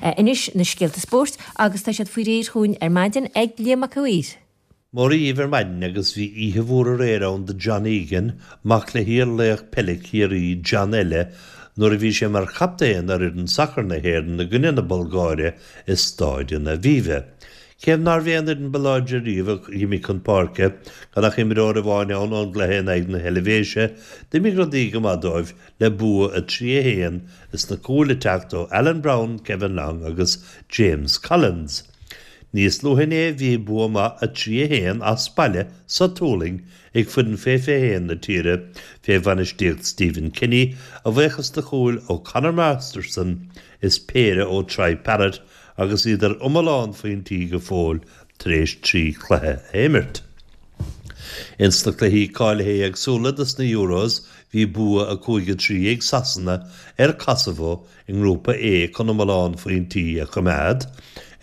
Anois na scéalta spóirt agus tá siad faoi réir chugainn ar maidin ag Liam Mac a' Mhaoir. Mora dhaoibh ar maidin agus bhí oíche mhór aréir ann do John Egan, mac le hiar-laoch peile Chiarraí, John eile, nuair a bhí sé mar chaptaen ar fhoireann sacair na hÉireann i gcoinne na Bulgáire i Stáid an Aviva. Cé nárbh é an fhoireann ba láidre riamh a d'imigh chun páirce, gan ach imreoir amháin ann ón gcluiche in aghaidh na hEilvéise, d'imigh rudaí go maith dóibh le bua 3-1 is na cúil ag teacht ó Alan Browne, Kevin Long agus James Collins. Níos luaithe inné bhí bua maith 3-1 as baile sa tSualainn ag foireann fé 21 na tíre fé bhainistíocht Stephen Kenny a bhuíochas do chúil ó Conor Masterson is péire ó Troy Parrott agus iad ar iomlán phointí go fóill tar éis 3 chluiche a imirt. Ins na cluichí cáilithe éagsúla dos na Euros bhí bua 5-3 ag Sasana ar Kosovo i nGrúpa A chun iomlán phointí a choimeád.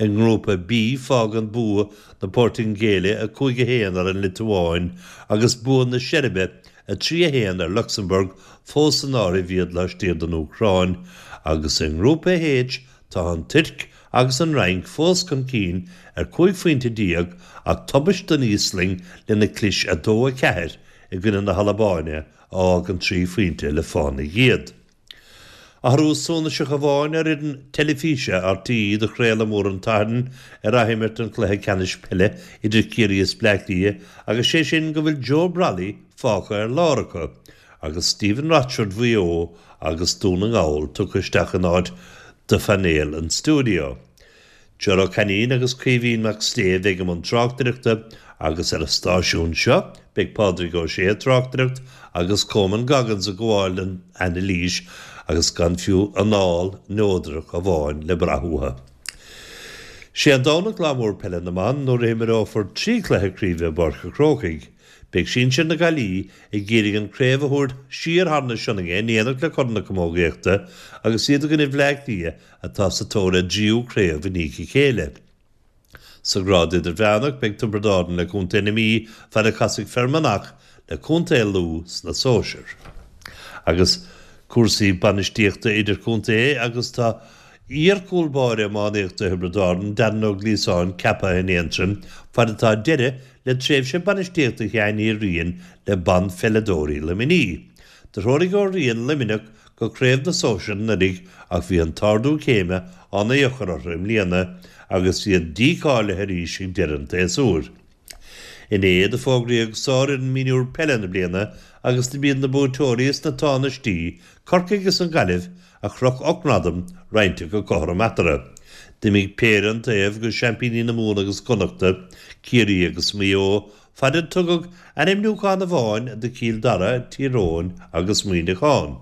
I nGrúpa B fágann bua na Portaingéile 5-1 ar an Liotuáin agus bua na Seirbe 3-1 ar Lucsamburg fós san áireamh iad laistiar den Úcráin agus i nGrúpa H Tá an Tuirc agus an Fhrainc fós chun cinn ar 15 phointe ach tubaist don Íoslainn lena clis 2-4 i gcoinne na hAlbáine a fhágann 3 phointe le fána iad. Athrú suntasach amháin ar fhoireann teilifíse RTÉ do chraoladh mór an tSathairn ar athimirt an chluiche ceannais peile idir Ciarraí is Bleá Cliath agus sé sin go bhfuil Joe Brolly fágtha ar lár acu agus Stephen Rochford Mhaigh Eo agus Dún na nGall tugtha isteach in áit do phainéal an stiúideo. Ger Ó Cainín agus Caoimhín Mac Sléibhe a bheidh i mbun tráchtaireachta agus ar an stáisiún seo beidh Pádraig Ó Sé ag tráchtaireacht agus Coman Goggins ag gabháil don anailís agus gan fiú anáil neodrach amháin le brath uathu. Sé an Domhnach lá mór peile na mban nuair a imreofar 3 chluiche craoibhe i bPáirc an Chrócaigh. Beidh sinsir na Gaillimhe ag iarraidh an craobh a thabhairt siar thar na Sionainne in éineacht le Corn na Camógaíochta agus iad i gcoinne Bhleá Cliath atá sa tóir ar dtríú craobh i ndiaidh a chéile. Sa ghrád idirmheánach beidh Tiobraid Árann le Contae na Mí fad a chasfaidh Fear Manach le Contae Lú sna sóisir. Agus cúrsaí bainistíochta idirchontae agus tá iar-chúl báire iománaíochta Thiobraid Árann, Darren Ó Gliasáin ceaptha in Aontroim fad atá deireadh le tréimhse bainistíochta Sheáin Uí Riain le banpheileadóirí Luimnigh. Do threoraigh Ó Riain Luimneach go Craobh na Sóisear anuraidh ach bhí an t-ardú céime an-deacair orthu i mbliana agus iad dícháilithe arís ag deireadh an tséasúir. Inné do fógraíodh sárfhoireann mionúr peile na bliana agus do b'iad na buaiteoirí is na tánaistí, Corcaigh is an Ghaillimh, a chroch 8 ngradam roinnte go cothrom eatarthu. D'imigh péire an taobh go seaimpíní na Mumhan agus Connachta, Ciarraí agus Maigh Eo, fad a tugadh ainmniúchán amháin do Chill Dara, Tír Eoghain agus Muineachán.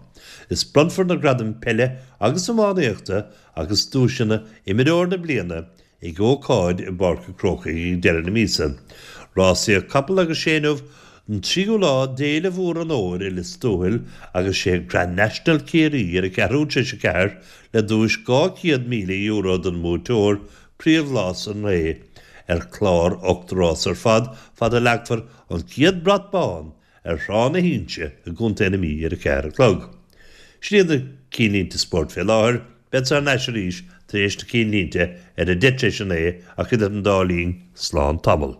Is bronnfar na gradaim peile agus iománaíochta agus duaiseanna Imreoir na Bliana Ag ócáid i bPáirc an Chrócaigh ag deireadh na míosa, rásaíodh capall agus sé inniu an tríú lá d'Fhéile Mhór an Fhómhair i Lios Tuathail agus sé Grand National Ciarraí ar a ceathrú tar éis a ceathair le duais €200,000 don mbuaiteoir, príomhrás an lae ar chlár 8 rás ar fad fad a leagfar an chéad brat bán ar Thrá na hInse i gContae na Mí ar a ceathair a chlog. Sin iad na cinnlínte spóirt fé láthair. Bead thar n-ais arís tar éis na cinnlínte ar a deich tar éis a naoi ach idir an dá linn, slán tamall.